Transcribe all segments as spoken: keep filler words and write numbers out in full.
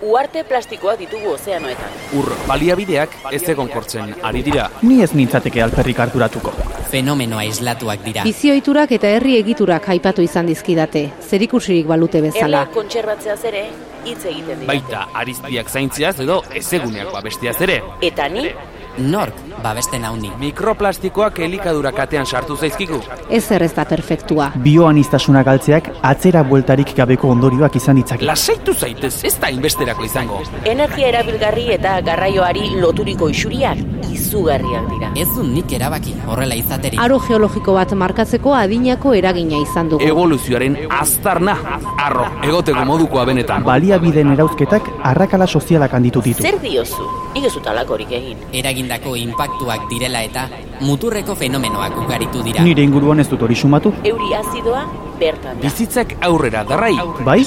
Uarte plastikoak ditugu ozeanoetan. Ur baliabideak ez egonkortzen ari dira. Ni ez nintzateke alperrik arduratuko. Fenomeno aislatuak dira. Bizioiturak eta herri egiturak aipatu izan dizkidate, zerikusirik balute bezala. Erla kontserbatzeaz ere hitz egiten dira. Baita ariztiak zaintziaz edo ezeguneak babestiaz ere. Eta ni Nork babesten hauni. Mikroplastikoak elikadura katean sartu zaizkigu. Ez ez da perfektua. Bioanistasuna galtzeak atzera bueltarik gabeko ondorioak izan ditzake. Lasaitu zaitez, ez da inbesterako izango. Energia erabilgarri eta garraioari loturiko isuriak izugarriak dira. Ez du nik erabaki horrela izaterik. Aro geologiko bat markatzeko adinako eragina izan dugu. Evoluzioaren aztarna, arro, egoteko modukoa benetan. Baliabideen erauzketak arrakala sozialak handitu ditu. Zer diozu? Nik ez dut alakorik egin. Eragindako inpaktuak direla eta muturreko fenomenoak ugaritu dira. Nire inguruan ez dut hori sumatu. Euri azidoa bertan da. Bizitzak aurrera darrai. Bai?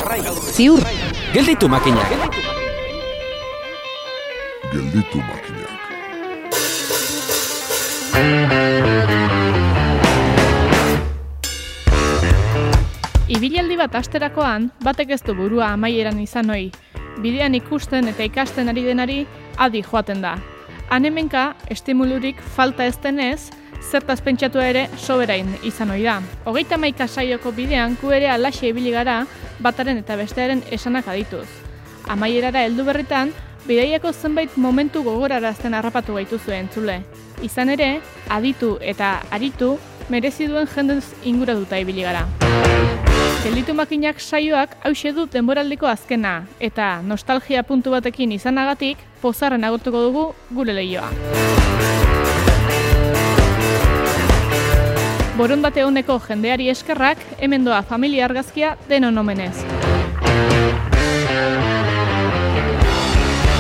Ziur. Gelditu makinak. Gelditu makinak. Ibilaldi bat asterakoan, batek ez du burua amaieran izan ohi. Bidean ikusten eta ikasten ari denari adi joaten da. Hanemenka, estimulurik falta ez denez, zertaz pentsatua ere soberain izan ohi da. Hogeita hamaika saioko bidean gu ere alaxe ibili gara bataren eta bestearen esanak adituz. Amaierara heldu berritan, bidaiako zenbait momentu gogorarazten harrapatu gaituzue entzule. Izan ere, aditu eta aritu merezi duen jendez inguratuta ibili gara. Gelditu makinak saioak hauxe du denboraldiko azkena, eta nostalgia puntu batekin izanagatik, pozarren agurtuko dugu gure lehioa. Borondate honeko jendeari eskerrak, hemen doa familia argazkia denon omenez.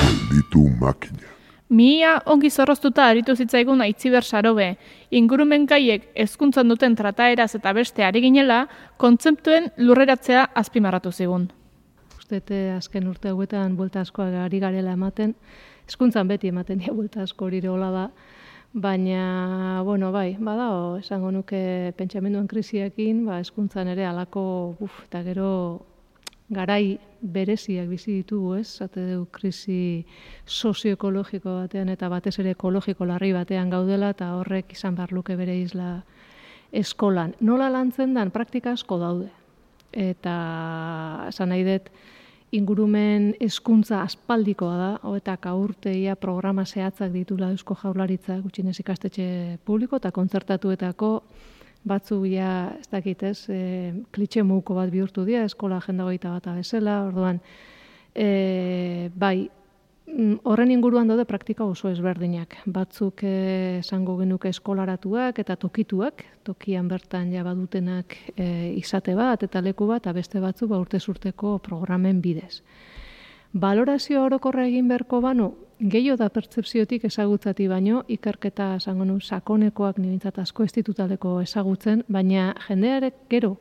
Gelditu makinak. Mihia ongi zorroztuta aritu zitzaigun Aitziber Sarobe, ingurumen gaiek hezkuntzan duten trataeraz eta beste ari ginela, kontzeptuen lurreratzea azpimarratu zigun. Ustete azken urte hauetan buelta askoak ari garela ematen, hezkuntzan beti ematen dira buelta asko hori hola da, baina, bueno, bai, badao, esango nuke pentsamenduen krisiakin, ba, hezkuntzan ere halako, uf, eta gero garai bereziak bizi ditugu, ez? Zate du krisi sozioekologiko batean eta batez ere ekologiko larri batean gaudela eta horrek izan behar luke bere isla eskolan. Nola lantzen dan praktika asko daude. Eta esan nahi dut ingurumen hezkuntza aspaldikoa da, hogeita urteia programa zehatzak ditula Eusko Jaurlaritza gutxienez ikastetxe publiko eta kontzertatuetako batzu ja, ez dakit ez, e, klitxe muko bat bihurtu dira, eskola agenda hogeita bata bezala, orduan, e, bai, horren inguruan daude praktika oso ezberdinak. Batzuk e, esango genuke eskolaratuak eta tokituak, tokian bertan ja badutenak e, izate bat eta leku bat, eta beste batzu ba urtez urteko programen bidez. Balorazio orokorra egin beharko banu, gehiago da pertzepziotik ezagutzati baino, ikerketa esango nu sakonekoak niretzat asko ez ditutaleko ezagutzen, baina jendearek gero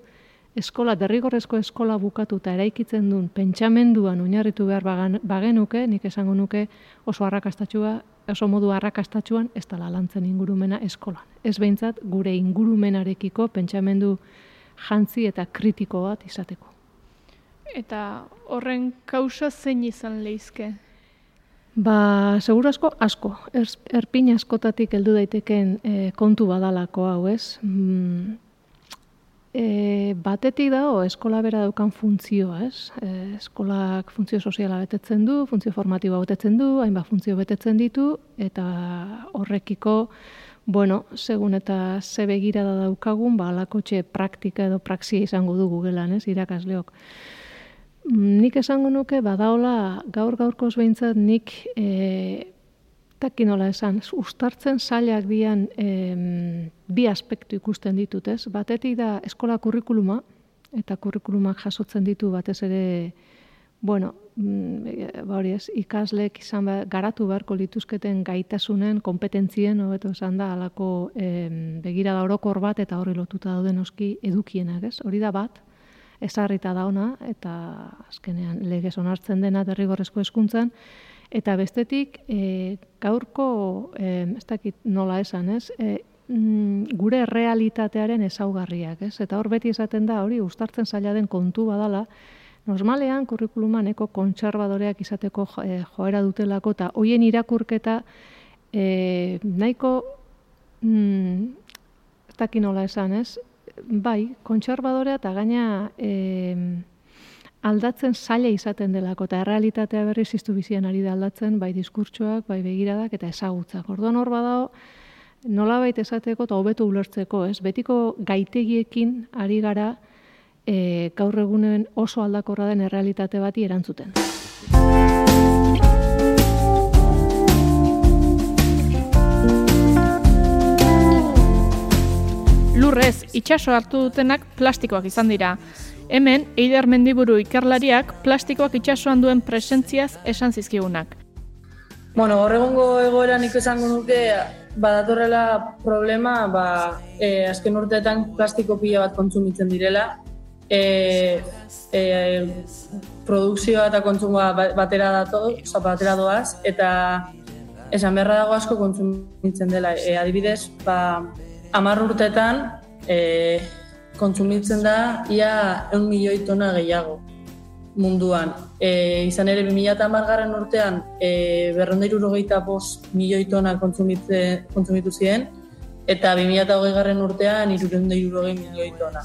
eskola, derrigorrezko eskola bukatuta eraikitzen duen pentsamenduan oinarritu behar bagenuke, nik esango nuke oso arrakastatxua, oso modu arrakastatxuan ez dela lantzen ingurumena eskolan. Ez behintzat gure ingurumenarekiko pentsamendu jantzi eta kritiko bat izateko. Eta horren kausa zein izan lehizke? Ba, seguru asko, asko. Er, erpin askotatik heldu daiteken e, kontu badalako hau, ez? Mm, e, batetik dago eskola bera daukan funtzioa, ez? E, eskolak funtzio soziala betetzen du, funtzio formatiboa betetzen du, hainbat funtzio betetzen ditu, eta horrekiko, bueno, segun eta ze begirada daukagun, ba, alakotxe praktika edo praxia izango dugu gelan, ez? Irakasleok. Nik esango nuke badaola gaur-gaurkoz behintzat nik e, takinola esan, uztartzen zailak dian e, bi aspektu ikusten ditut, ez? Batetik da eskola kurrikuluma, eta kurrikulumak jasotzen ditu batez ere, bueno, ba hori ez, ikaslek izan behar, garatu beharko lituzketen gaitasunen, kompetentzien, hobeto esan da, halako e, begirada orokor bat eta horri lotuta dauden oski edukienak, ez? Hori da bat, ezarrita da ona, eta azkenean legez onartzen dena derrigorrezko hezkuntzan, eta bestetik e, gaurko, e, ez dakit nola esan, ez, e, mm, gure realitatearen ezaugarriak, ez, eta hor beti esaten da, hori uztartzen zaila den kontu badala, Normalean, kurrikuluman eko kontserbadoreak izateko eh, joera dutelako, eta hoien irakurketa eh, nahiko, mm, ez daki nola esan, ez? Bai, kontserbadorea eta gaina eh, aldatzen zaila izaten delako, eta errealitatea berriz iztu bizian ari da aldatzen, bai diskurtsoak, bai begiradak eta ezagutzak. Orduan hor badao, nolabait esateko eta hobeto ulertzeko, ez? Betiko gaitegiekin ari gara e, gaur egunen oso aldakorra den errealitate bati erantzuten. Lurrez, itsaso hartu dutenak plastikoak izan dira. Hemen, Eider Mendiburu ikerlariak plastikoak itsasoan duen presentziaz esan zizkigunak. Bueno, horregongo egoeran nik esango nuke badatorrela problema, ba, e, azken urteetan plastiko pila bat kontsumitzen direla. E, e, produkzioa eta kontsumoa batera dato, oza, batera doaz, eta esan beharra dago asko kontsumitzen dela. E, adibidez, ba, hamar urteetan, e, kontsumitzen da ia ehun milioi tona gehiago munduan. E, izan ere, bi mila hamargarren urtean e, berrehun eta hirurogeita bost milioi tona kontsumitu ziren, eta bi mila hogeigarren urtean hirurehun eta hirurogei milioi tona.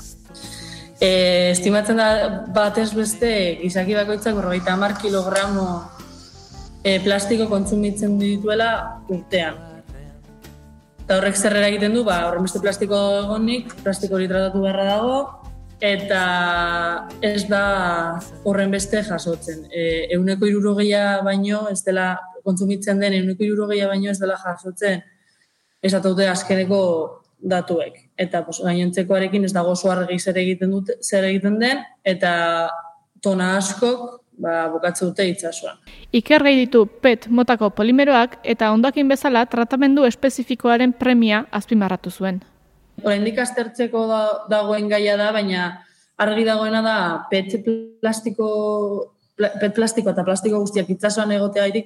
E, estimatzen da batez beste gizaki bakoitzak berrogeita hamar kilogramo e, plastiko kontsumitzen dituela urtean. Eta horrek zerrera egiten du, ba, horren beste plastiko egonik, plastiko hori tratatu beharra dago, eta ez da horren beste jasotzen. E, ehuneko hirurogeia baino ez dela kontsumitzen den, ehuneko hirurogeia baino ez dela jasotzen esataute azkeneko datuek. Eta pues, gainontzekoarekin ez dago oso argi zer egiten dute, zer egiten den, eta tona askok ba, bukatze dute itsasoan. Iker gai ditu P E T motako polimeroak eta hondakin bezala tratamendu espezifikoaren premia azpimarratu zuen. Oraindik aztertzeko da, dagoen gaia da, baina argi dagoena da P E T plastiko, P E T plastiko eta plastiko guztiak itsasoan egoteagatik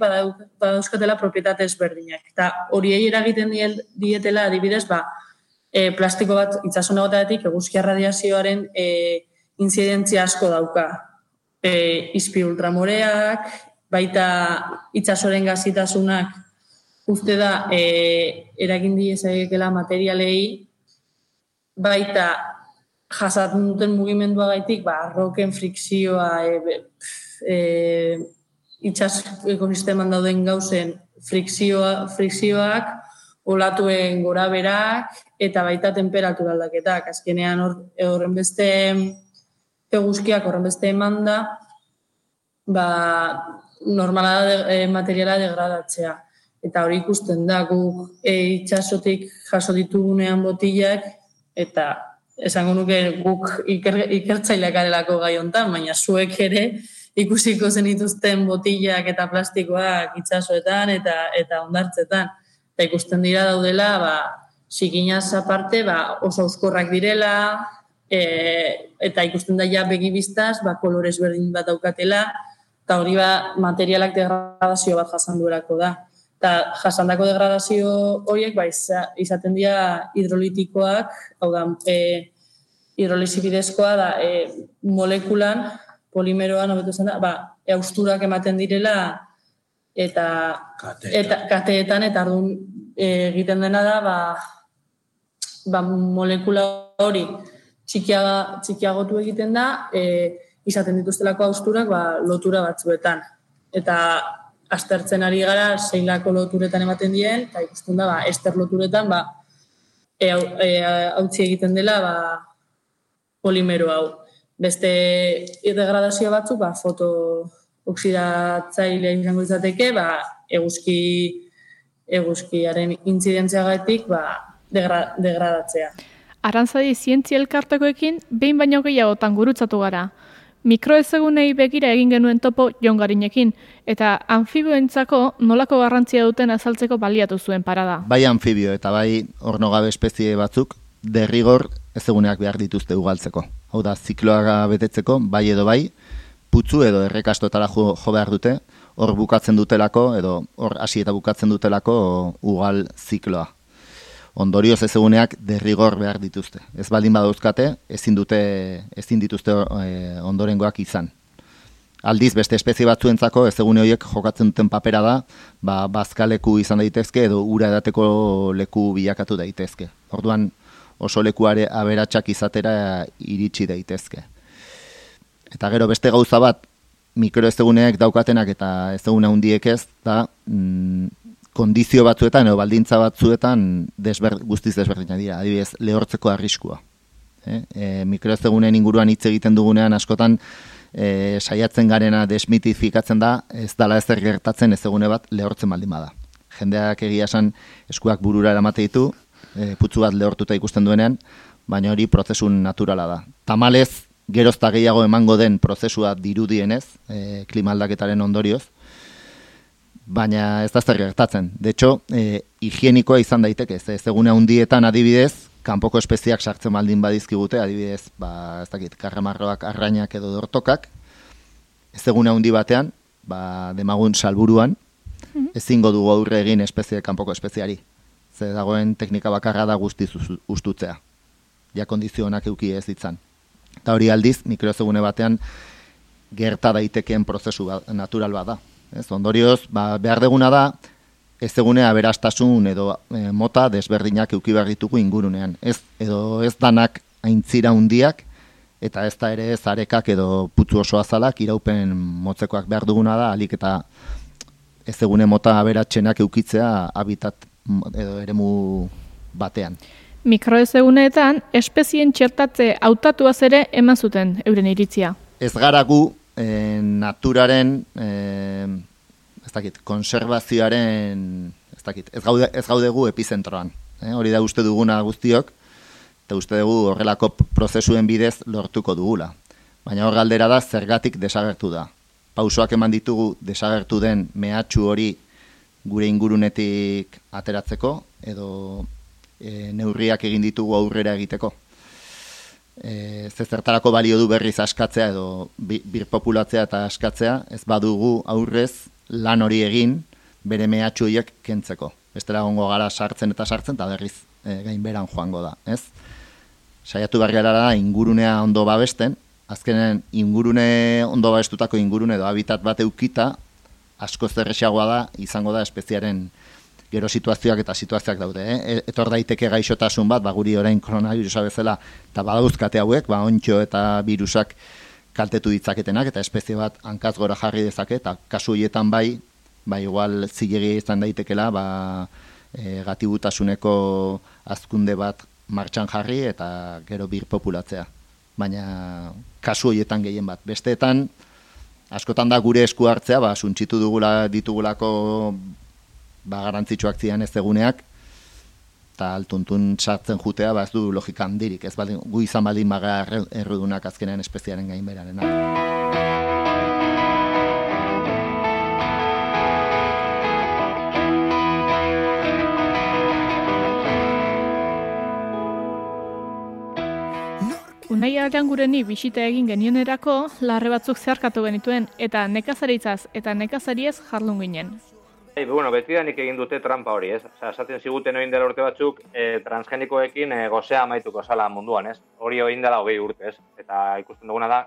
badauzkatela propietate ezberdinak. Eta horiei eragiten dietela adibidez, ba, e, plastiko bat itsasoan egoteagatik eguzki radiazioaren e, inzidentzia asko dauka. E, izpi ultramoreak, baita itsasoren gazitasunak uste da e, eragin diezakela materialei, baita jasaten duten mugimenduagaitik, ba, arroken frikzioa, e, e, itsas ekosisteman dauden gauzen frikzioa, frikzioak, olatuen goraberak eta baita temperatura aldaketak. Azkenean horren beste eguzkiak horren beste eman da, ba, normala da de, e, materiala degradatzea. Eta hori ikusten da, guk e, itsasotik jaso ditugunean botilak, eta esango nuke guk iker, ikertzaileak garelako gai hontan, baina zuek ere ikusiko zenituzten botilak eta plastikoak itsasoetan eta eta hondartzetan. Eta ikusten dira daudela, ba, zikinaz aparte, ba, oso euskorrak direla, E, eta ikusten da ja begibiztaz, ba, kolorez berdin bat daukatela, eta hori ba, materialak degradazio bat jasan duelako da. Eta jasandako degradazio horiek ba, izaten dira hidrolitikoak, hau da, e, hidrolisi bidezkoa da, e, molekulan, polimeroan, hobeto zen da, ba, austurak ematen direla, eta kateetan, eta, kateetan, eta ardun e, egiten dena da, ba, ba, molekula hori, Txikiaga, txikiagotu egiten da, e, izaten dituztelako austurak ba, lotura batzuetan. Eta aztertzen ari gara, zeilako loturetan ematen dien, eta ikusten da, ba, ester loturetan, ba, e, e, hautsi egiten dela ba, polimero hau. Beste degradazio batzuk, ba, fotooxidatzailea izango izateke, ba, eguzki, eguzkiaren intzidentziagatik ba, degra, degradatzea. Arantzadi zientzia elkartekoekin behin baino gehiagotan gurutzatu gara. Mikroezegunei begira egin genuen topo Jon Garinekin, eta anfibioentzako nolako garrantzia duten azaltzeko baliatu zuen parada. Bai anfibio eta bai ornogabe espezie batzuk derrigor ezeguneak behar dituzte ugaltzeko. Hau da, zikloa betetzeko, bai edo bai, putzu edo errekastotara jo, jo behar dute, hor bukatzen dutelako, edo hor hasi eta bukatzen dutelako ugal zikloa. Ondorioz ezeguneak derrigor behar dituzte. Ez baldin badauzkate, ezin dute, ezin dituzte e, ondorengoak izan. Aldiz, beste espezie batzuentzako ezegune horiek jokatzen duten papera da, ba, bazkaleku izan daitezke edo ura edateko leku bilakatu daitezke. Orduan, oso lekuare aberatsak izatera iritsi daitezke. Eta gero beste gauza bat, mikroezeguneek daukatenak eta ezegune handiek ez, da mm, kondizio batzuetan edo baldintza batzuetan desber, guztiz desberdinak dira, adibidez, lehortzeko arriskua. E, e, mikroezeguneen inguruan hitz egiten dugunean askotan e, saiatzen garena desmitifikatzen da, ez dala ezer gertatzen ezegune bat lehortzen baldin bada. Jendeak egia esan eskuak burura eramate ditu, e, putzu bat lehortuta ikusten duenean, baina hori prozesu naturala da. Tamalez, gerozta gehiago emango den prozesua dirudienez, e, klima aldaketaren ondorioz, baina ez da zer gertatzen. De hecho, e, higienikoa izan daiteke, ez egune handietan adibidez, kanpoko espeziak sartzen baldin badizkigute, adibidez, ba, ez dakit, karramarroak, arrainak edo dortokak, ez egune handi batean, ba, demagun salburuan, ezingo dugu aurre egin espezie kanpoko espeziari. Ze dagoen teknika bakarra da guztiz ustutzea. Ja kondizionak euki ez ditzan. Eta hori aldiz, mikroezegune batean gerta daitekeen prozesu ba, natural bat da. Ez, ondorioz, ba, behar deguna da, ezegune aberastasun edo e, mota desberdinak euki behar ditugu ingurunean. Ez, edo ez danak aintzira hundiak, eta ez da ere zarekak edo putzu oso azalak iraupen motzekoak behar duguna da, alik eta ezegune mota aberatsenak eukitzea habitat edo eremu batean. Mikroezeguneetan, espezien txertatze hautatuaz ere eman zuten euren iritzia. Ez gara gu e, naturaren, e, ez dakit, konservazioaren, ez dakit, ez gaude, ez gaude gu epizentroan. E, hori da uste duguna guztiok, eta uste dugu horrelako prozesuen bidez lortuko dugula. Baina hor galdera da zergatik desagertu da. Pausoak eman ditugu desagertu den mehatxu hori gure ingurunetik ateratzeko, edo E, neurriak egin ditugu aurrera egiteko. E, zezertarako balio du berriz askatzea edo bi, birpopulatzea eta askatzea, ez badugu aurrez lan hori egin bere mehatxu horiek kentzeko. Bestela gongo gara sartzen eta sartzen eta berriz e, gainberan joango da. Ez? Saiatu behar gara da ingurunea ondo babesten, azkenen ingurune ondo babestutako ingurune edo habitat bat eukita, asko zerrexagoa da izango da espeziaren gero situazioak eta situazioak daude. Eh? Etor daiteke gaixotasun bat, ba, guri orain koronavirusa bezala, eta badauzkate hauek, ba, ontxo eta virusak kaltetu ditzaketenak, eta espezie bat hankaz gora jarri dezake, eta kasu horietan bai, ba, igual zilegi izan daitekela, ba, e, gatibutasuneko azkunde bat martxan jarri, eta gero birpopulatzea. Baina kasu horietan gehien bat. Besteetan, askotan da gure esku hartzea, ba, suntxitu dugula, ditugulako ba, garantzitsuak zian ez eguneak, eta altuntun sartzen jutea, ba, ez du logika handirik, ez baldin, gu izan baldin baga errudunak azkenean espeziaren gainberaren. Unai Arangureni bisita egin genionerako larre batzuk zeharkatu genituen, eta nekazaritzaz eta nekazariez jardun ginen. Hey, bueno, betidanik egin dute trampa hori, ez? Osa, esaten ziguten egin dela urte batzuk, e, transgenikoekin e, gozea amaituko zala munduan, ez? Hori egin dela hogei urte, ez? Eta ikusten duguna da,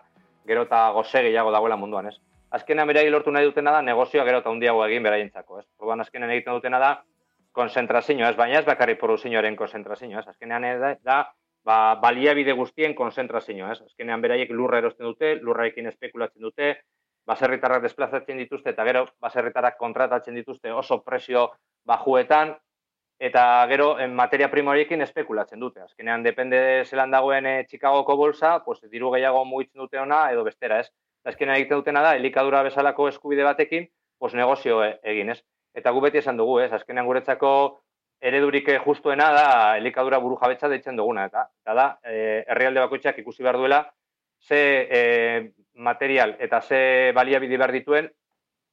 gero eta goze gehiago dagoela munduan, ez? Azkenean beraiek lortu nahi dutena da, negozioa gero eta handiago egin beraientzako, ez? Orduan azkenean egiten dutena da, konzentrazioa, ez? Baina ez bakarrik produzioaren konzentrazioa, ez? Azkenean da, da ba, baliabide guztien konzentrazioa, ez? Azkenean beraiek lurra erosten dute, lurrarekin espekulatzen dute, baserritarrak desplazatzen dituzte eta gero baserritarrak kontratatzen dituzte oso presio bajuetan eta gero en materia prima horiekin espekulatzen dute. Azkenean depende zelan dagoen e, Chicagoko bolsa, pues diru gehiago mugitzen dute ona edo bestera, ez? Azkenean egiten dutena da elikadura bezalako eskubide batekin, pues negozio e, egin, ez? Eta gu beti esan dugu, ez? Azkenean guretzako eredurik justuena da elikadura burujabetza deitzen duguna, eta, eta da e, herrialde bakoitzak ikusi behar duela ze e, material eta ze baliabide behar dituen,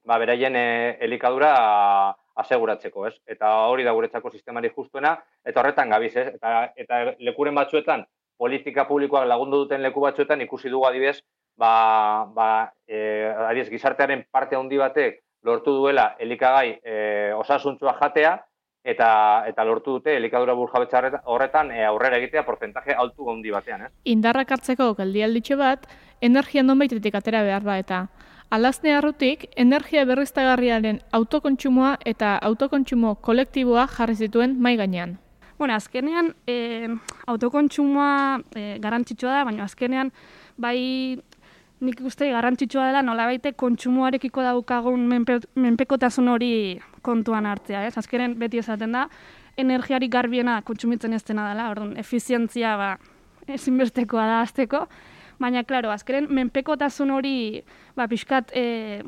ba, beraien e, elikadura aseguratzeko, ez? Eta hori da guretzako sistemari justuena, eta horretan gabiz, ez? Eta, eta lekuren batzuetan, politika publikoak lagundu duten leku batzuetan, ikusi dugu adibidez, ba, ba, e, adibidez, gizartearen parte handi batek lortu duela elikagai e, osasuntsua jatea, eta eta lortu dute elikadura burujabetza horretan e, aurrera egitea porcentaje altu handi batean, ez? Indarrak hartzeko geldialditxo bat, energia nonbaitetik atera behar ba eta Alazne arrutik, energia berriztagarriaren autokontsumoa eta autokontsumo kolektiboa jarri zituen mai gainean. Bueno, azkenean e, autokontsumoa e, garrantzitsua da, baina azkenean bai nik uste garrantzitsua dela nolabaite kontsumoarekiko daukagun menpe, menpekotasun hori kontuan hartzea, ez? Azkenean beti esaten da, energiarik garbiena kontsumitzen ez dena dela, orduan, efizientzia ba, ezinbestekoa da azteko, baina, klaro, azkenean menpekotasun hori ba, pixkat e,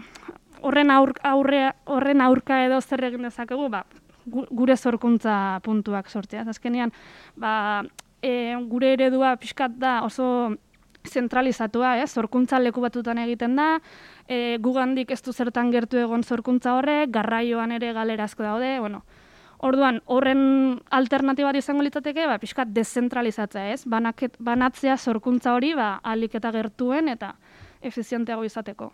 horren, aur, aurre, horren aurka edo zer egin dezakegu, ba, gure zorkuntza puntuak sortzea. Azkenean, ba, e, gure eredua pixkat da oso zentralizatua, eh? Zorkuntza leku batutan egiten da, e, gugandik ez du zertan gertu egon zorkuntza horrek, garraioan ere galerazko daude, bueno, orduan, horren alternatibat izango litzateke, ba, pixkat dezentralizatzea, ez? Banaket, banatzea zorkuntza hori, ba, ahalik eta gertuen eta efizienteago izateko.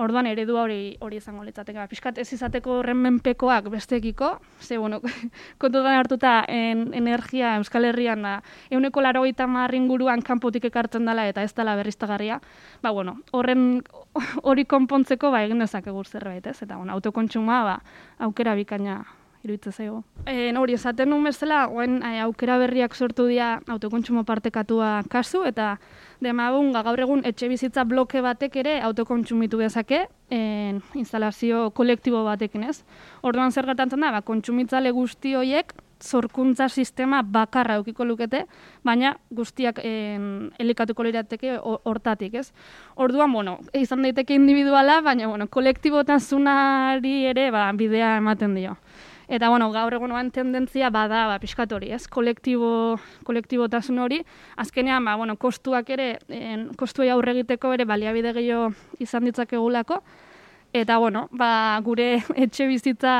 Orduan, eredua hori hori izango litzateke. Ba, pixkat ez izateko horren menpekoak bestekiko, ze, bueno, kontutan hartuta en, energia Euskal Herrian da, ehuneko laurogeita hamar inguruan kanpotik ekartzen dela eta ez dela berriztagarria, ba, bueno, horren hori konpontzeko, ba, egin dezakegu zerbait, ez? Eta, bueno, autokontsumoa, ba, aukera bikaina iruditzen zaigu. E, hori esaten nuen bezala, oen, e, aukera berriak sortu dira autokontsumo partekatua kasu, eta demagun gaur egun etxe bizitza bloke batek ere autokontsumitu dezake, en, instalazio kolektibo batekin, ez? Orduan zer gertatzen da, ba, kontsumitzale guzti horiek zorkuntza sistema bakarra eukiko lukete, baina guztiak en, elikatuko lirateke hortatik, ez? Orduan, bueno, izan daiteke individuala, baina, bueno, kolektibotasunari ere ba, bidea ematen dio. Eta, bueno, gaur egunoan tendentzia bada, ba, pixkat hori, ez? Kolektibo, kolektibotasun hori, azkenean, ba, bueno, kostuak ere, en, kostuei aurre egiteko ere baliabide gehiago izan ditzakegulako, eta, bueno, ba, gure etxe bizitza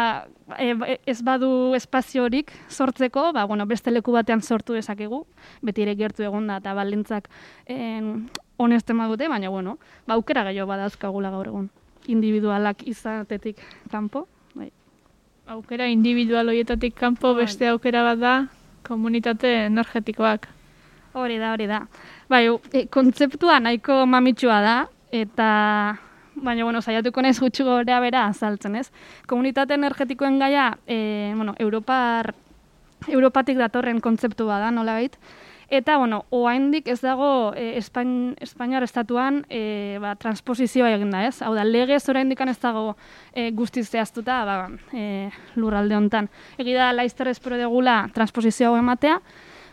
e, ez badu espaziorik sortzeko, ba, bueno, beste leku batean sortu dezakegu, beti ere gertu egon da, eta balintzak honesten badute, baina, bueno, ba, aukera gehiago badauzkagula gaur egun, individualak izatetik kanpo. Aukera individual horietatik kanpo beste aukera bat da komunitate energetikoak. Hori da, hori da. Bai, e, kontzeptua nahiko mamitsua da, eta baina, bueno, saiatuko naiz gutxi gora bera azaltzen, ez? Komunitate energetikoen gaia, e, bueno, Europar, Europatik datorren kontzeptua da, nolabait. Eta, bueno, oraindik ez dago e, Espain, Espainiar estatuan e, ba, transposizioa egin da, ez? Hau da, legez oraindik ez dago e, guztiz zehaztuta ba, e, lurralde hontan. Egi da, laizter espero degula transposizioa ematea,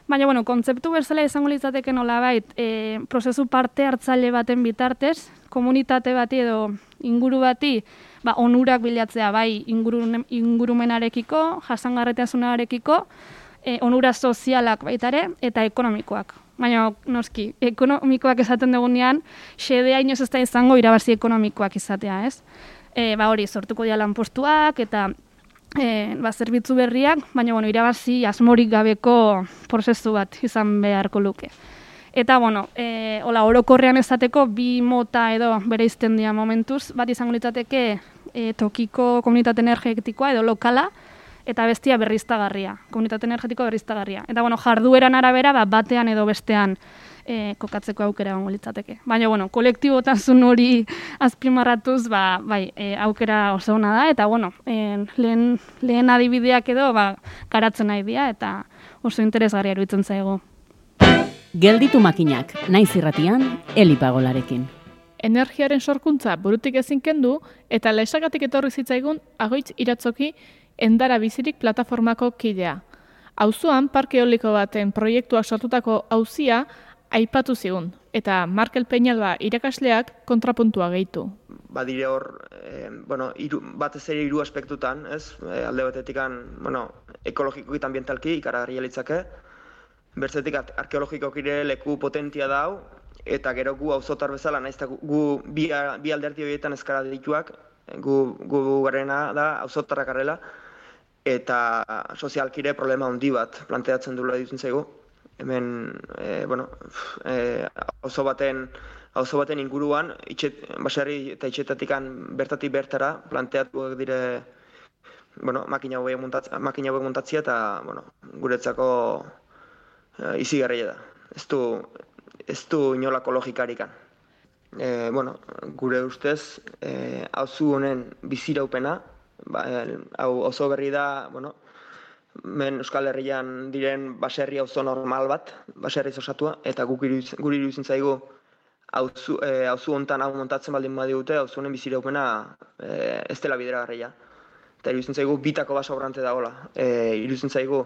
baina, bueno, kontzeptu bezala izango litzateke nolabait, e, prozesu parte hartzaile baten bitartez, komunitate bati edo inguru bati, ba, onurak bilatzea bai inguru, ingurumenarekiko, jasangarritasunarekiko, E, onura sozialak baitare eta ekonomikoak. Baina, noski, ekonomikoak esaten dugunean, xedea inoz ez da izango irabazi ekonomikoak izatea, ez? E, ba hori, sortuko dira lanpostuak eta e, ba, zerbitzu berriak, baina, bueno, irabazi asmorik gabeko prozesu bat izan beharko luke. Eta, bueno, e, hola, orokorrean ezateko bi mota edo bereizten dira momentuz, bat izango litzateke e, tokiko komunitate energetikoa edo lokala, eta bestia berriztagarria, komunitate energetiko berriztagarria. Eta, bueno, jardueran arabera, ba, batean edo bestean e, kokatzeko aukera gongo litzateke. Baina, bueno, kolektibotasun hori azpimarratuz, ba, bai, e, aukera oso ona da, eta, bueno, e, lehen, lehen adibideak edo, ba, garatzen nahi dira, eta oso interesgarria iruditzen zaigu. Gelditu makinak, naiz irratian, Eli Pagolarekin. Energiaren sorkuntza burutik ezin kendu, eta laisagatik etorri zitzaigun Agoitz Iratzoki Endara Bizirik plataformako kidea. Auzoan parke eoliko baten proiektuak sortutako auzia aipatu zigun, eta Markel Peñalba irakasleak kontrapuntua gehitu. Badire hor, e, bueno, iru, batez ere hiru aspektutan, ez? E, alde batetikan, bueno, ekologikoki eta ambientalki ikaragarria litzake, bertzetik arkeologikoki ere leku potentia dau, eta gero gu auzotar bezala, naiz eta gu, gu bi, bi alderdi horietan eskara dituak, gu, gu garena da auzotarrak garela, eta sozialkire problema handi bat planteatzen duela ditzen zaigu. Hemen, e, bueno, e, auzo baten, auzo baten inguruan, itxet, baserri eta itxetatikan bertatik bertara planteatu dire, bueno, makina hauek muntatzia, makina hauek muntatzia eta, bueno, guretzako e, izigarria da. Ez du, ez du inolako logikarikan. e, bueno, gure ustez, e, auzu honen biziraupena, ba, hau oso berri da, bueno, men Euskal Herrian diren baserri auzo normal bat, baserri osatua, eta guk guri iruditzen zaigu auzu e, auzu hontan hau montatzen baldin badigute, auzu honen biziraupena e, ez dela bideragarria. Eta iruditzen zaigu bitako baso sobrante dagoela. E, iruditzen zaigu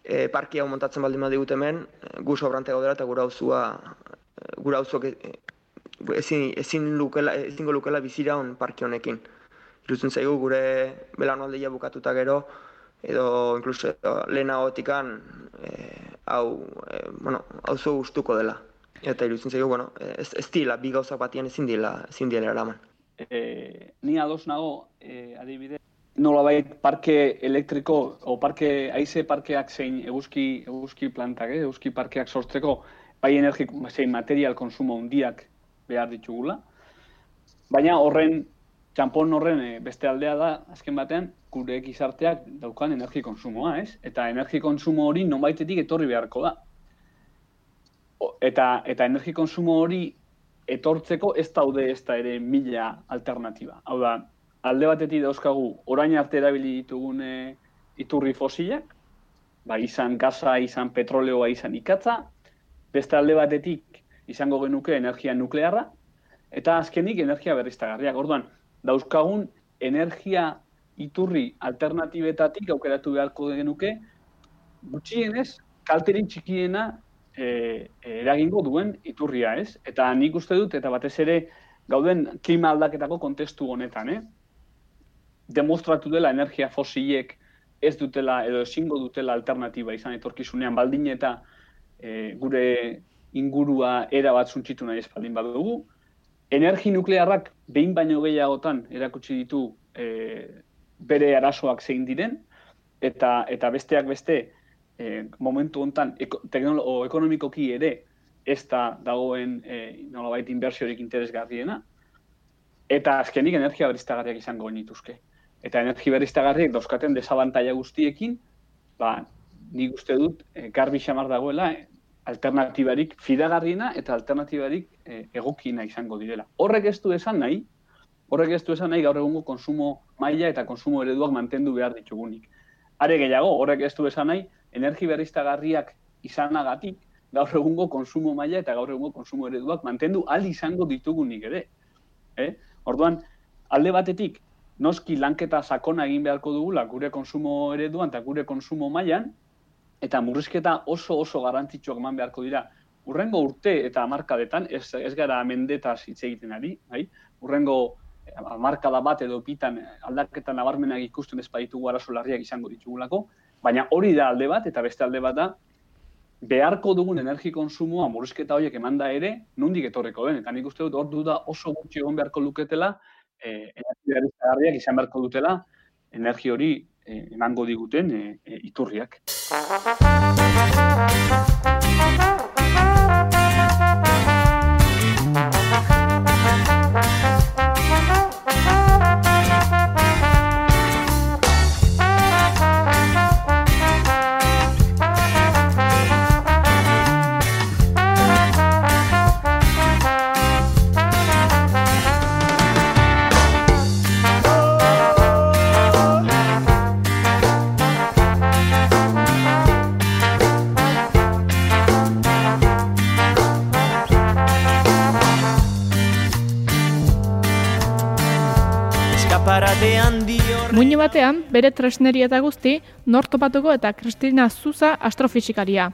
e, parki hau montatzen baldin badigute hemen, gu sobrante gaudela eta gure auzua gure auzuak ezin ezin lukela ezingo lukela bizira on parki honekin. Iruditzen zaigu gure belaunaldia bukatuta gero edo incluso lehenagotikan e, hau e, bueno, auzo gustuko dela. Eta iruditzen zaigu, bueno, ez, ez dila, bi gauzak batian ezin dila, ezin dila eraman. E, ni ados nago, e, adibide, nolabait parke elektriko, o parke, haize parkeak zein eguzki, eguzki plantak, eh? eguzki parkeak sortzeko, bai energi, zein material konsumo handiak behar ditugula. Baina horren, txampon horren e, beste aldea da, azken batean, gure gizarteak daukan energi konsumoa, ez? Eta energi konsumo hori nonbaitetik etorri beharko da. Eta, eta energi konsumo hori etortzeko ez daude ez da ere mila alternatiba. Hau da, alde batetik dauzkagu orain arte erabili ditugun iturri fosilak, ba, izan gaza, izan petroleoa, izan ikatza, beste alde batetik izango genuke energia nuklearra, eta azkenik energia berriztagarriak. Orduan, dauzkagun energia iturri alternatibetatik aukeratu beharko genuke, gutxienez, kalterin txikiena E, eragingo duen iturria, ez? Eta nik uste dut, eta batez ere gauden klima aldaketako kontestu honetan, eh? Demostratu dela energia fosilek ez dutela edo ezingo dutela alternatiba izan etorkizunean baldin eta e, gure ingurua era bat suntzitu nahi ez baldin badugu. Energi nuklearrak behin baino gehiagotan erakutsi ditu e, bere arazoak zein diren, eta, eta besteak beste, E, momentu honetan eko, teknolo, ekonomikoki ere ez da dagoen e, nolabait inbertsiorik interesgarriena, eta azkenik energia berriztagarriak izango genituzke. Eta energia berriztagarriak dauzkaten desabantaila guztiekin, ba, nik uste dut e, garbi xamar dagoela e, alternatibarik fidagarriena eta alternatibarik e, egokiena izango direla. Horrek ez du esan nahi, horrek ez du esan nahi gaur egungo konsumo maila eta konsumo ereduak mantendu behar ditugunik. Are gehiago, horrek ez du esan nahi, energi berriztagarriak izanagatik gaur egungo konsumo maila eta gaur egungo konsumo ereduak mantendu ahal izango ditugunik ere. Eh? Orduan, alde batetik, noski lanketa sakona egin beharko dugula gure konsumo ereduan eta gure konsumo mailan, eta murrizketa oso oso garrantzitsuak eman beharko dira. Urrengo urte eta hamarkadetan, ez, ez gara mendetaz hitz egiten ari, bai? Urrengo hamarkada bat edo bitan aldaketa nabarmenak ikusten ez baditugu arazo larriak izango ditugulako, baina hori da alde bat, eta beste alde bat da, beharko dugun energi konsumoa murrizketa horiek emanda ere, nondik etorreko den. Eta nik uste dut hor duda oso gutxi egon beharko luketela, eh, energia berriztagarriak izan beharko dutela, energi hori eh, emango diguten eh, eh, iturriak. Muino batean, bere tresneria eta guzti, nor topatuko eta Kristina Zuza astrofisikaria.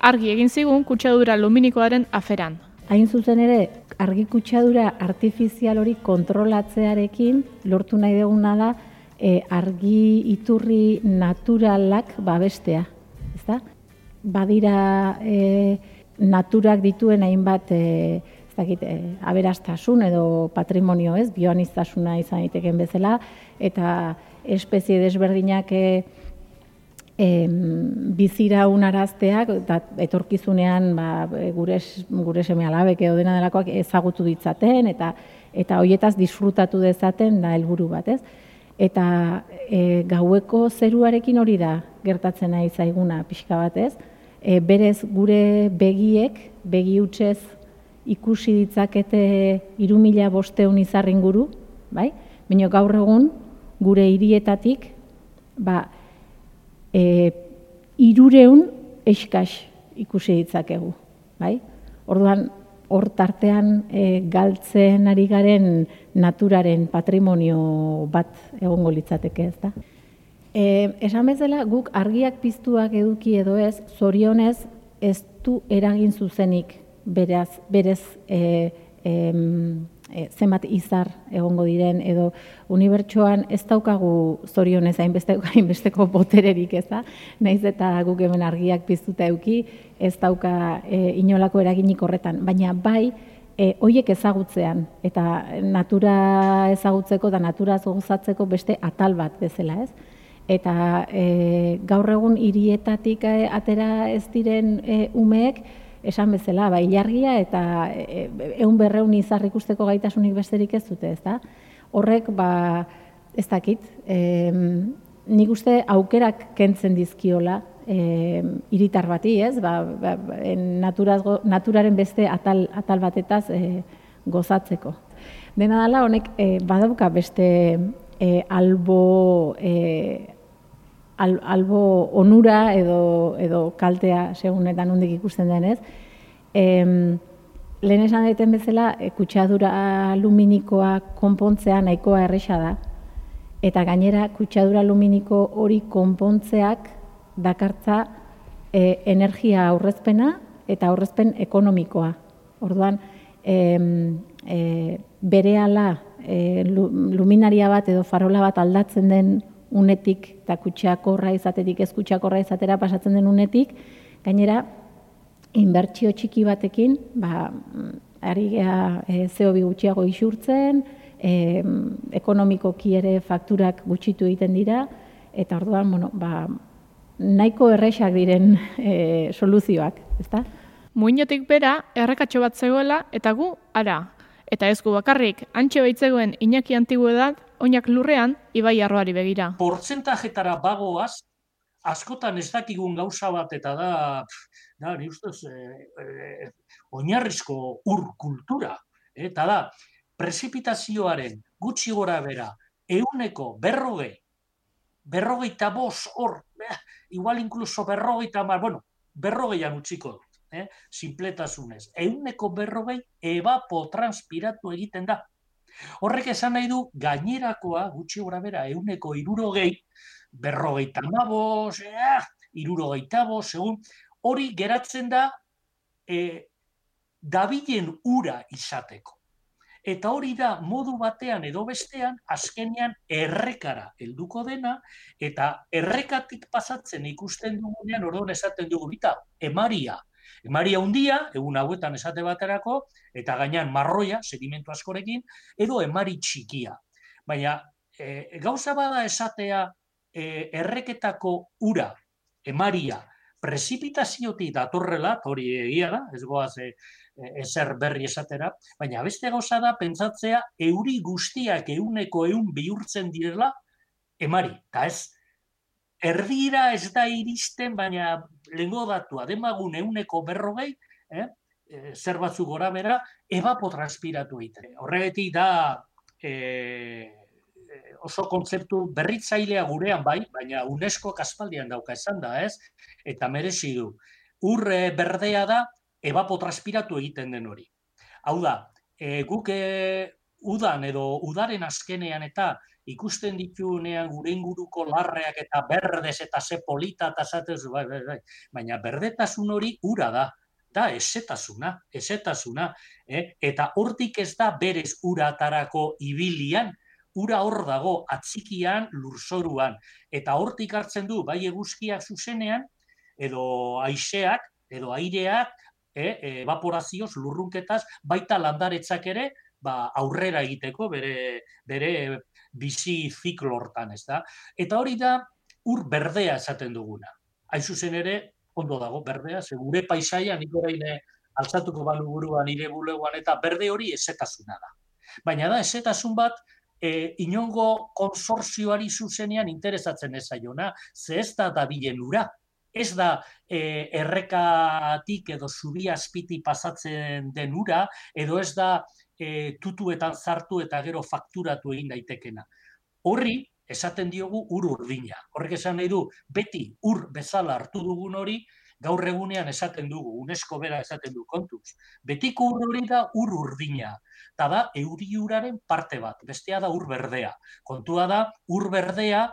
Argi egin zigun kutsadura luminikoaren aferan. Hain zuzen ere, argi kutsadura artifizial hori kontrolatzearekin lortu nahi duguna da e, argi iturri naturalak babestea. Ezta? Badira e, naturak dituen hainbat e, ez dakit, e, aberastasun edo patrimonio, ez, bioaniztasuna izan daiteken bezala, eta espezie desberdinak e, e, bizira unarazteak, eta etorkizunean ba, gure, gure seme alabek edo dena delakoak ezagutu ditzaten, eta eta hoietaz disfrutatu dezaten da helburu bat, ez? Eta e, gaueko zeruarekin hori da gertatzen nahi zaiguna pixka bat, ez? E, berez gure begiek, begi hutsez ikusi ditzakete hiru mila bostehun izar inguru, bai? Baina gaur egun gure hirietatik ba e, hirureun eskas ikusi ditzakegu, bai? Orduan hor tartean e, galtzen ari garen naturaren patrimonio bat egongo litzateke, ezta? E, esan bezala guk argiak piztuak eduki edo ez, zorionez ez du eragin zuzenik beraz, berez e, e, e, zenbat izar egongo diren edo unibertsoan ez daukagu zorionez hainbeste, hainbesteko botererik, ez da? Naiz eta guk hemen argiak piztuta eduki, ez dauka e, inolako eraginik horretan, baina bai e, hoiek ezagutzean eta natura ezagutzeko eta naturaz gozatzeko beste atal bat bezala, ez? Eta e, gaur egun hirietatik e, atera ez diren e, umeek, esan bezala, ba, ilargia eta ehun berrehun izar ikusteko gaitasunik besterik ez dute, ez da? Horrek, ba, ez dakit, e, nik uste aukerak kentzen dizkiola e, hiritar bati, ez? Ba, ba, naturaz, naturaren beste atal, atal batetaz e, gozatzeko. Dena dela, honek e, badauka beste e, albo... E, Al, albo onura edo, edo kaltea segunetan nondik ikusten denez. E, lehen esan deten bezala, e, kutsadura aluminikoa konpontzea nahikoa erresa da. Eta gainera, kutsadura aluminiko hori konpontzeak dakartza e, energia aurrezpena eta aurrezpen ekonomikoa. Orduan, e, e, berehala e, luminaria bat edo farola bat aldatzen den unetik eta kutsakorra izatetik ez kutsakorra izatera pasatzen den unetik, gainera, inbertsio txiki batekin, ba, ari gea e, C O bi gutxiago isurtzen, e, ekonomikoki ere fakturak gutxitu egiten dira, eta orduan, bueno, ba, nahiko erresak diren e, soluzioak, ezta? Muinotik bera, errekatxo bat zegoela, eta gu, ara. Eta ez gu bakarrik, antxe baitzegoen Iñaki Antiguedad, oinak lurrean, ibai arroari begira. Portzentajetara bagoaz, askotan ez dakigun gauza bat, eta da, da ni ustez, e, e, oinarrizko ur kultura. Eta da, prezipitazioaren gutxi gora bera, euneko berrogei, berrogeita bost hor, eh, igual inkluso berrogeita mar, bueno, berrogeian utziko dut. Eh, sinpletasunez, ehuneko berrogei evapotranspiratu egiten da. Horrek esan nahi du gainerakoa gutxi gora bera ehuneko hirurogei, berrogeita hamabost, eh, hirurogeita bost, segun hori geratzen da eh, dabilen ura izateko. Eta hori da modu batean edo bestean azkenean errekara helduko dena eta errekatik pasatzen ikusten dugunean orduan esaten dugu bita emaria. Emaria handia, egun hauetan esate baterako, eta gainean marroia, sedimentu askorekin, edo emari txikia. Baina e, gauza bada esatea e, erreketako ura, emaria, prezipitaziotik datorrela, hori egia da, ez goaz e, ezer berri esatera, baina beste gauza da pentsatzea euri guztiak euneko eun bihurtzen direla emari, eta ez erdira ez da iristen, baina lehengo datua, demagun euneko berrogei, eh, zer batzuk gora bera, evapotranspiratu egiten. Horregatik da eh, oso kontzeptu berritzailea gurean bai, baina UNESCO aspaldian dauka esan da, ez? Eta merezi du. Ur berdea da, evapotranspiratu egiten den hori. Hau da, e, guk e, udan edo udaren azkenean eta ikusten ditunean gure inguruko larreak eta berdez eta ze polita eta zatez, bai, bai, bai. Baina berdetasun hori ura da, da esetasuna, esetasuna, eh? Eta hortik ez da berez uratarako ibilian, ura hor dago atzikian, lurzoruan, eta hortik hartzen du bai eguzkiak zuzenean, edo haizeak, edo aireak, eh? evaporazioz, lurrunketaz, baita landaretzak ere, ba, aurrera egiteko bere, bere bizi ziklo hortan, ez da? Eta hori da ur berdea esaten duguna. Hain zuzen ere, ondo dago berdea, ze gure paisaia nik orain altzatuko balu buruan nire bulegoan eta berde hori ezetasuna da. Baina da ezetasun bat e, inongo konsortzioari zuzenean interesatzen ez zaiona, ze ez da dabilen ura. ez da e, errekatik edo zubi azpiti pasatzen den ura, edo ez da e, tutuetan sartu eta gero fakturatu egin daitekena. Horri, esaten diogu ur urdina. Horrek esan nahi du, beti ur bezala hartu dugun hori, gaur egunean esaten dugu, UNESCO bera esaten du kontuz. Betiko ur hori da ur urdina. Eta da, euri uraren parte bat, bestea da ur berdea. Kontua da, ur berdea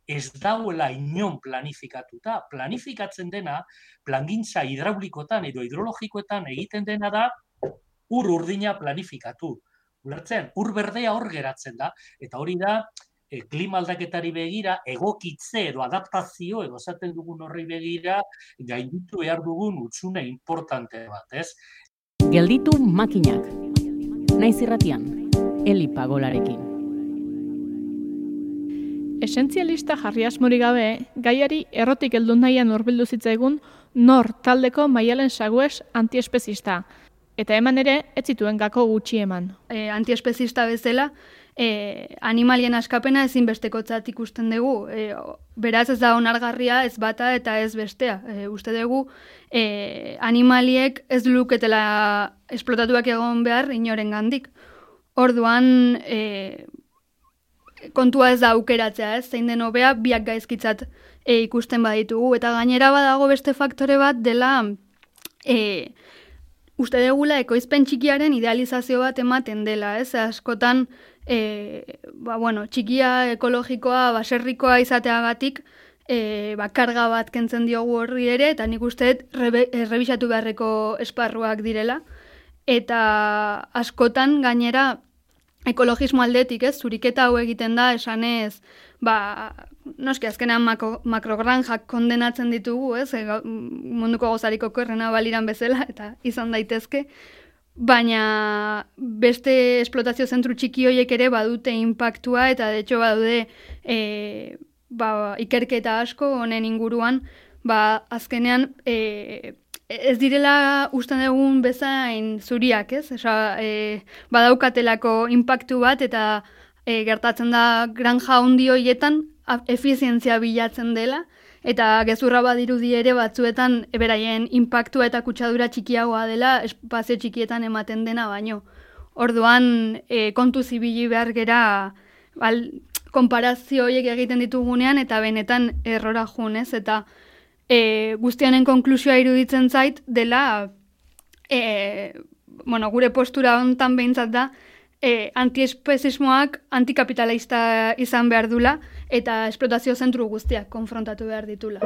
ez dauela inon planifikatuta. Planifikatzen dena, plangintza hidraulikotan edo hidrologikoetan egiten dena da, ur urdina planifikatu. Ulertzen, ur berdea hor geratzen da, eta hori da, e, klima aldaketari begira, egokitze edo adaptazio, edo esaten dugun horri begira, gainditu behar dugun hutsune importante bat, ez? Gelditu makinak. Naiz irratian, Eli Pagolarekin. Esentzialista jarri asmori gabe, gaiari errotik heldu nahian hurbildu zitzaigun nor taldeko Maialen Sagues antiespezista. Eta eman ere, ez zituen gako gutxi eman. E, antiespezista bezala, e, animalien askapena ezinbestekotzat ikusten dugu. E, beraz ez da onargarria ez bata eta ez bestea. E, uste dugu, e, animaliek ez luketela esplotatuak egon behar inoren gandik. Orduan, e, kontua ez da aukeratzea, ez? Zein den hobea biak gaizkitzat e, ikusten baditugu. Eta gainera badago beste faktore bat dela e, uste degula ekoizpen txikiaren idealizazio bat ematen dela, ez? Askotan, e, ba, bueno, txikia ekologikoa, baserrikoa izateagatik, e, ba, karga bat kentzen diogu horri ere, eta nik uste errebisatu beharreko esparruak direla. Eta askotan gainera ekologismo aldetik, ez? Zuriketa hau egiten da, esanez, ba, noski azkenean mako, makrogranjak kondenatzen ditugu, ez? E, munduko gozariko korrena baliran bezala, eta izan daitezke, baina beste esplotazio zentru txiki horiek ere badute inpaktua, eta de hecho badude e, ba, ikerketa asko honen inguruan, ba, azkenean e, ez direla usten dugun bezain zuriak, ez? Osa, e, badaukatelako inpaktu bat eta e, gertatzen da granja handi horietan efizientzia bilatzen dela eta gezurra badirudi ere batzuetan beraien inpaktua eta kutsadura txikiagoa dela espazio txikietan ematen dena baino. Orduan e, kontu zibili behar gera bal, konparazio horiek egiten ditugunean eta benetan errora jun, ez? Eta E, guztianen konklusioa iruditzen zait dela e, bueno, gure postura hontan behintzat da e, antiespezismoak antikapitalista izan behar dula eta esplotazio zentru guztiak konfrontatu behar ditula.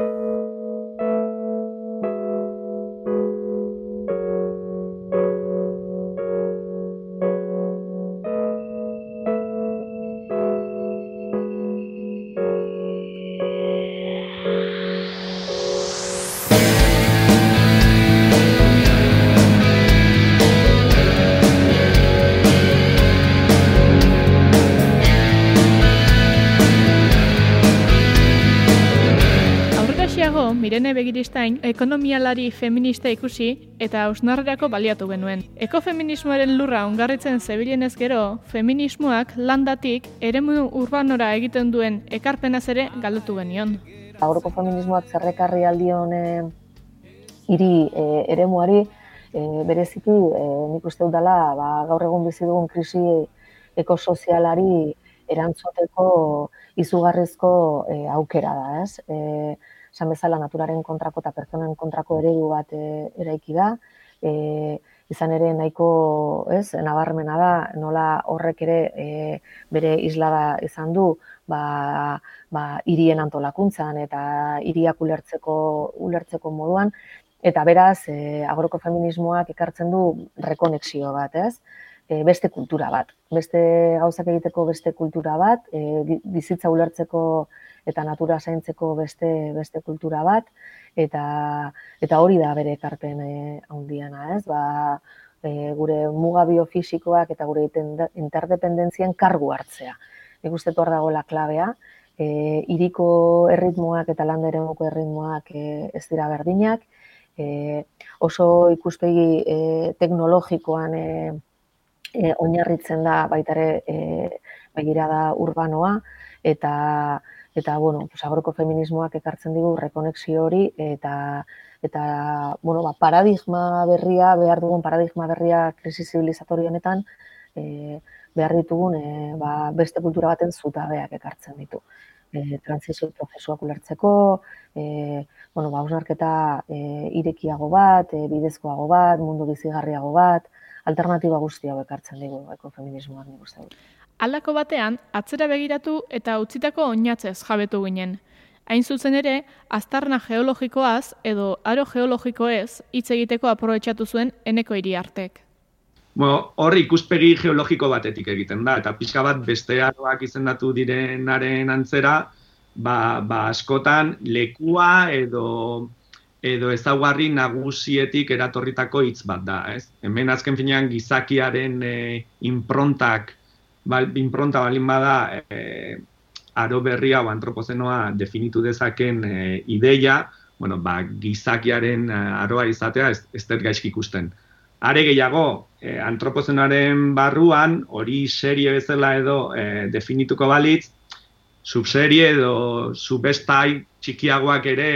Mirene Begiristain ekonomialari feminista ikusi eta hausnarrerako baliatu genuen. Ekofeminismoaren lurra ongarritzen zebilenez gero, feminismoak landatik eremu urbanora egiten duen ekarpenaz ere galdutu genion. Gaurko feminismoak zerrekarri aldion e, hiri e, eremuari e, bereziki e, nik uste dut dela ba, gaur egun bizi dugun krisi ekosozialari erantzuteko izugarrizko e, aukera da, ez? E, Esan bezala naturaren kontrako eta pertsonen kontrako eredu bat e, eraiki da. E, izan ere nahiko, ez, nabarmena da, nola horrek ere e, bere islada izan du, ba, ba, hirien antolakuntzan eta hiriak ulertzeko, ulertzeko moduan. Eta beraz, e, agrokofeminismoak ekartzen du rekonexio bat, ez? E, beste kultura bat. Beste gauzak egiteko beste kultura bat, e, bizitza ulertzeko eta natura zaintzeko beste beste kultura bat, eta eta hori da bere ekarpen e, handiena, ez? Ba, e, gure muga biofisikoak eta gure interdependentzien kargu hartzea. Nik uste hor dagoela klabea, e, hiriko erritmoak eta landa eremuko erritmoak e, ez dira berdinak, e, oso ikuspegi e, teknologikoan e, e, oinarritzen da baita ere e, begirada urbanoa, eta eta bueno, pues agrokofeminismoak ekartzen digu rekonexio hori eta eta bueno, ba, paradigma berria, behar dugun paradigma berria krisi zibilizatorio honetan, e, behar ditugun e, ba, beste kultura baten zutabeak ekartzen ditu. E, transizio prozesuak ulertzeko, e, bueno, ba, hausnarketa e, irekiago bat, e, bidezkoago bat, mundu bizigarriago bat, alternatiba guzti hau ekartzen digu ekofeminismoak nik uste dut. Aldako batean, atzera begiratu eta utzitako oinatzez jabetu ginen. Hain zuzen ere, aztarna geologikoaz edo aro geologikoez hitz egiteko aprobetxatu zuen Eneko Iriartek. Bueno, hor ikuspegi geologiko batetik egiten da, eta pixka bat beste aroak izendatu direnaren antzera, ba, ba askotan lekua edo edo ezaugarri nagusietik eratorritako hitz bat da, ez? Hemen azken finean gizakiaren e, improntak, ba, impronta balin bada e, aro berria o antropozenoa definitu dezaken e, ideia, bueno, ba, gizakiaren aroa izatea ez, ez dut gaizki ikusten. Are gehiago, eh, antropozenoaren barruan, hori serie bezala edo eh, definituko balitz, subserie edo subbestai txikiagoak ere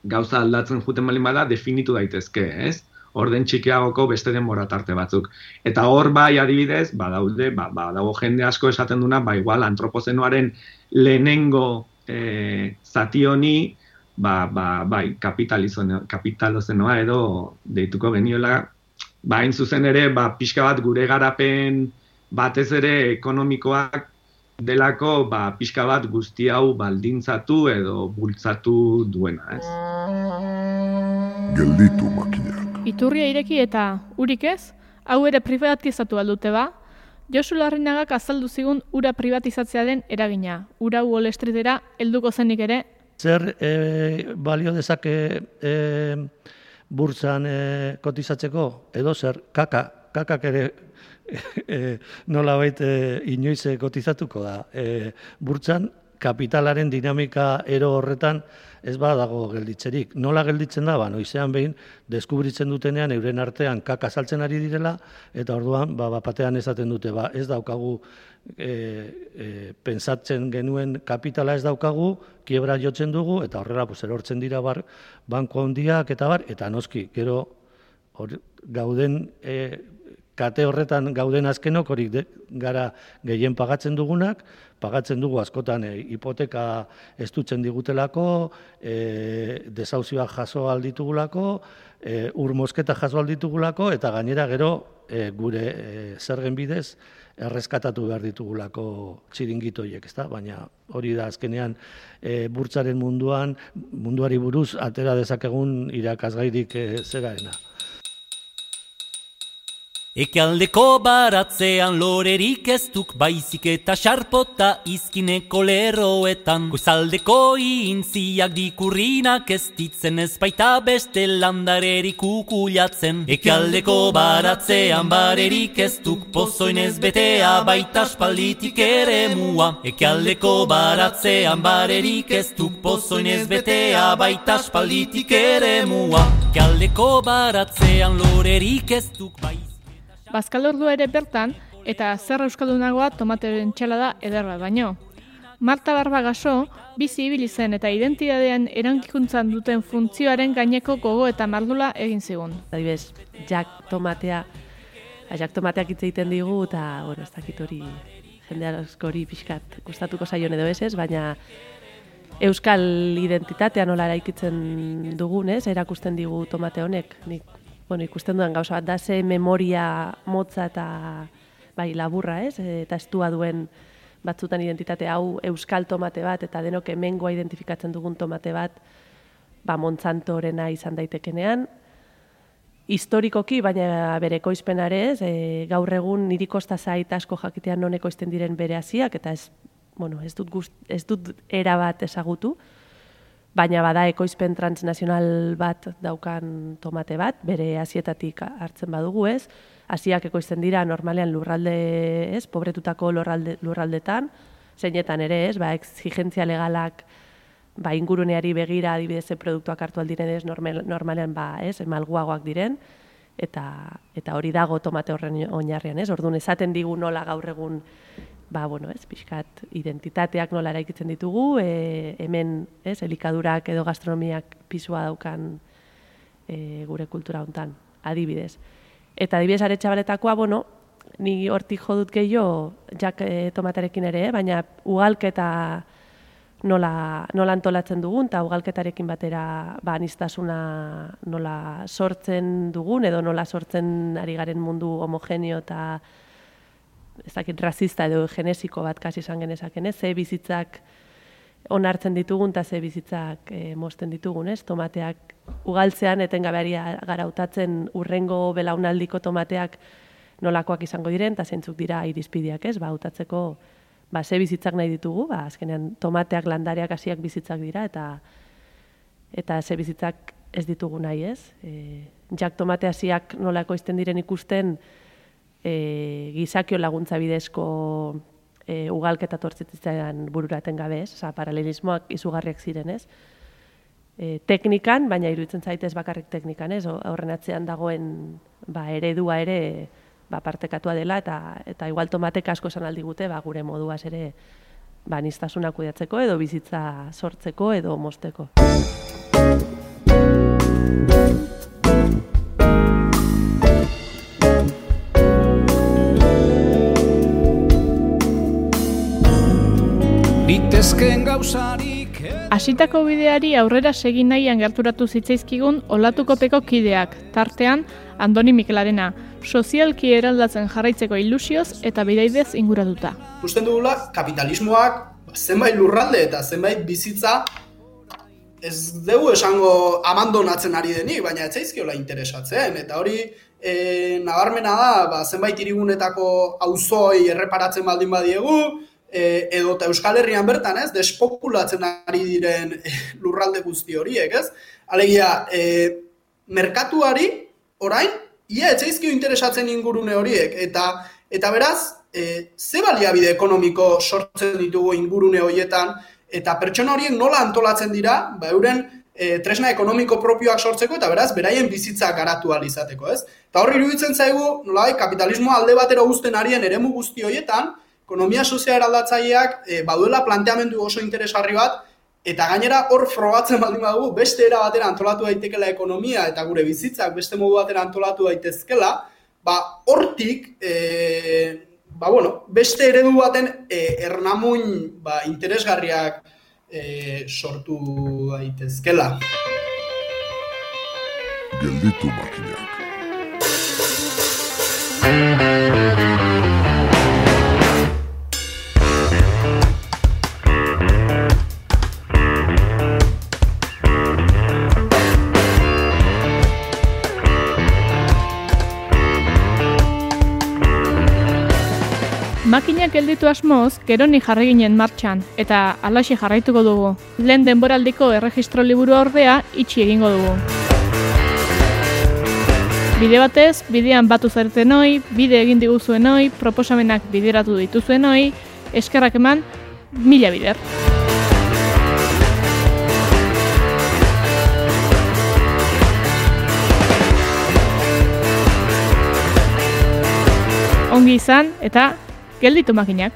gauza aldatzen juten balin bada definitu daitezke, ez? Orden txikiagoko beste denbora tarte batzuk. Eta hor bai adibidez, badaude, ba, ba, dago jende asko esaten duna, ba igual antropozenoaren lehenengo eh, zati honi, ba, ba, bai, kapitalozenoa edo deituko geniola, ba, hain zuzen ere, ba, pixka bat gure garapen batez ere ekonomikoak delako, ba, pixka bat guzti hau baldintzatu edo bultzatu duena, ez? Gelditu makinak. Iturria ireki eta urik ez, hau ere privatizatu aldute ba, Josu Larrinagak azaldu zigun ura privatizatzearen eragina, ura Wall Streetera helduko zenik ere. Zer e, balio dezake e, burtsan e, kotizatzeko, edo zer kaka, kakak ere e, nolabait e, inoiz kotizatuko da. E, burtsan kapitalaren dinamika ero horretan ez badago gelditzerik. Nola gelditzen da, ba, noizean behin, deskubritzen dutenean euren artean kaka saltzen ari direla, eta orduan, ba, batean esaten dute, ba, ez daukagu e, e, pentsatzen genuen kapitala ez daukagu, kiebra jotzen dugu, eta horrela pues, erortzen dira bar, banko handiak eta bar, eta noski, gero or, gauden e, kate horretan gauden azkenok horik de, gara gehien pagatzen dugunak, pagatzen dugu askotan e, hipoteka estutzen digutelako, e, desauzioak jaso alditugulako, e, ur mosketa jaso alditugulako, eta gainera gero e, gure e, zergen bidez erreskatatu behar ditugulako txiringitoiek, ezta? Baina hori da azkenean e, burtsaren munduan, munduari buruz atera dezakegun irakasgairik e, zeraena. Ekialdeko baratzean lorerik ez duk baizik eta xarpota izkineko lerroetan. Goizaldeko intziak dikurrinak ez ditzen ez baita beste landarerik ukulatzen. Ekialdeko baratzean barerik ez duk pozoinez betea baita aspalditik ere mua. Ekialdeko baratzean barerik ez duk pozoinez betea baita aspalditik ere mua. Ekialdeko baratzean lorerik ez duk baizik. Bazkalordua ere bertan, eta zer euskaldunagoa tomateren txalada ederra baino. Marta Barbagaso, bizi ibili zen eta identitatean erankikuntzan duten funtzioaren gaineko gogo eta mardula egin zigun. Adibidez, jak tomatea, jak tomateak hitz egiten digu, eta, bueno, ez dakit hori jende askori pixkat gustatuko zaion edo ez ez, baina euskal identitatea nola eraikitzen dugun, ez, erakusten digu tomate honek, nik bueno, ikusten dudan gauza bat da ze memoria motza eta bai laburra, ez? Eta estua duen batzutan identitate hau euskal tomate bat eta denok hemengoa identifikatzen dugun tomate bat ba Monsantorena izan daitekenean. Historikoki, baina bere ekoizpenare ez, e, gaur egun niri kosta zait asko jakitean non ekoizten diren bere hasiak eta ez, bueno, ez dut gust, ez dut era bat ezagutu. Baina bada ekoizpen transnazional bat daukan tomate bat, bere hasietatik hartzen badugu ez. Hasiak ekoizten dira normalean lurralde ez, pobretutako lurralde, lurraldetan, zeinetan ere ez, ba, exigentzia legalak ba, inguruneari begira adibidez produktuak hartu aldiren ez, normal, normalean ba, ez, malguagoak diren, eta, eta hori dago tomate horren oinarrian ez. Orduan esaten digu nola gaur egun ba, bueno, ez, pixkat, identitateak nola eraikitzen ditugu, e, hemen, ez, elikadurak edo gastronomiak pisua daukan e, gure kultura hontan, adibidez. Eta adibidez Aretxabaletakoa, bueno, ni hortik jo dut gehiago, jak e, tomaterekin ere, baina ugalketa nola, nola antolatzen dugun, eta ugalketarekin batera ba, aniztasuna nola sortzen dugun, edo nola sortzen ari garen mundu homogeneo eta ez dakit razista edo genesiko bat kasi izan genezaken, ez? Ze bizitzak onartzen ditugun eta ze bizitzak e, mozten ditugun, ez? Tomateak ugaltzean etengabe gara hautatzen urrengo belaunaldiko tomateak nolakoak izango diren, eta zeintzuk dira irizpideak, ez? Ba, hautatzeko ba, ze bizitzak nahi ditugu, ba, azkenean tomateak, landareak, hasiak bizitzak dira, eta eta ze bizitzak ez ditugu nahi, ez? E, jak tomate hasiak nolako izten diren ikusten, e, gizakio laguntza bidezko e, ugalketa tortzitzen bururaten gabe, ez? Osa, paralelismoak izugarriak ziren, ez? E, teknikan, baina iruditzen zaitez bakarrik teknikan, ez? Horren atzean dagoen ba, eredua ere ba, partekatua dela, eta eta igual tomatek asko esan aldigute, ba, gure moduaz ere ba, aniztasuna kudeatzeko edo bizitza sortzeko edo mozteko. Hasitako bideari aurrera segin nahian gerturatu zitzaizkigun Olatukopeko kideak, tartean Andoni Mikelarena, sozialki eraldatzen jarraitzeko ilusioz eta bidaidez inguratuta. Ikusten dugula, kapitalismoak zenbait lurralde eta zenbait bizitza ez dugu esango abandonatzen ari denik, baina ez zaizkiola interesatzen, eta hori e, nabarmena da, ba, zenbait hirigunetako auzoi erreparatzen baldin badiegu, e, edo eta Euskal Herrian bertan, ez, despopulatzen ari diren e, lurralde guzti horiek, ez? Alegia, e, merkatuari orain, ia etzaizkio interesatzen ingurune horiek, eta eta beraz, e, ze baliabide ekonomiko sortzen ditugu ingurune horietan, eta pertsona horiek nola antolatzen dira, ba, euren e, tresna ekonomiko propioak sortzeko, eta beraz, beraien bizitza garatu ahal izateko, ez? Eta horri iruditzen zaigu, nolai, kapitalismoa alde batera uzten arien eremu guzti horietan, ekonomia sozial eraldatzaileak e, baduela planteamendu oso interesgarri bat, eta gainera hor frogatzen baldin badugu, beste era batera antolatu daitekela ekonomia eta gure bizitzak beste modu batera antolatu daitezkela, ba hortik, e, ba bueno, beste eredu baten e, ernamuin ba, interesgarriak e, sortu daitezkela. Gelditu makinak. Makinak gelditu asmoz, Geroni jarri ginen martxan, eta halaxe jarraituko dugu. Lehen denboraldiko erregistro liburua ordea itxi egingo dugu. Bide batez, bidean batu zaretenoi, bide egin diguzuenoi, proposamenak bideratu dituzuenoi, eskerrak eman, mila bider. Ongi izan, eta gelditu makinak.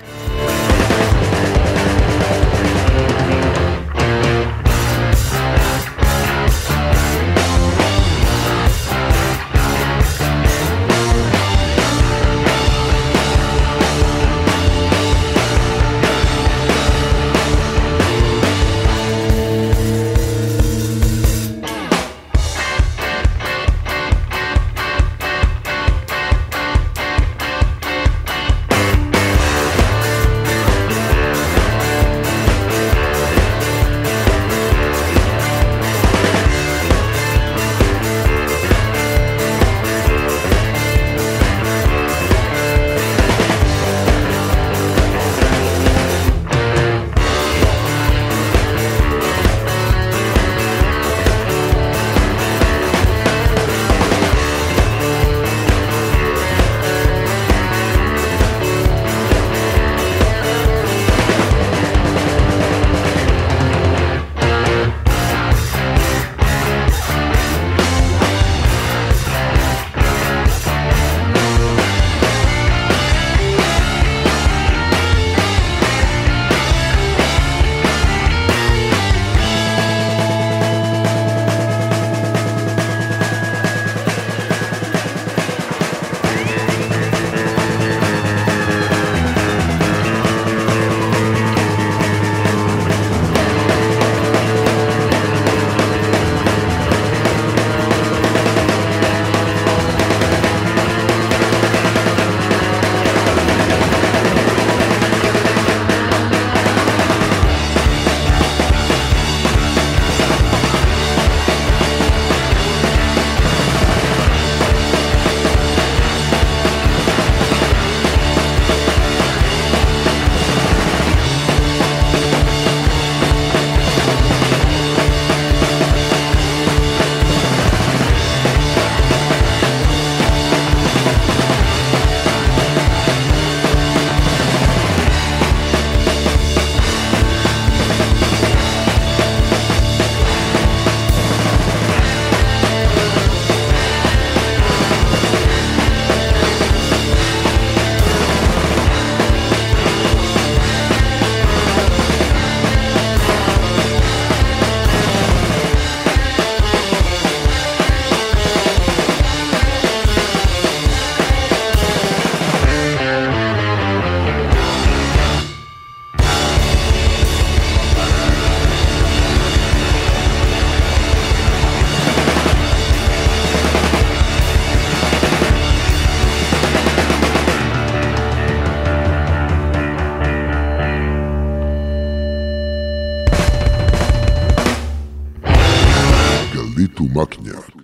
makinak.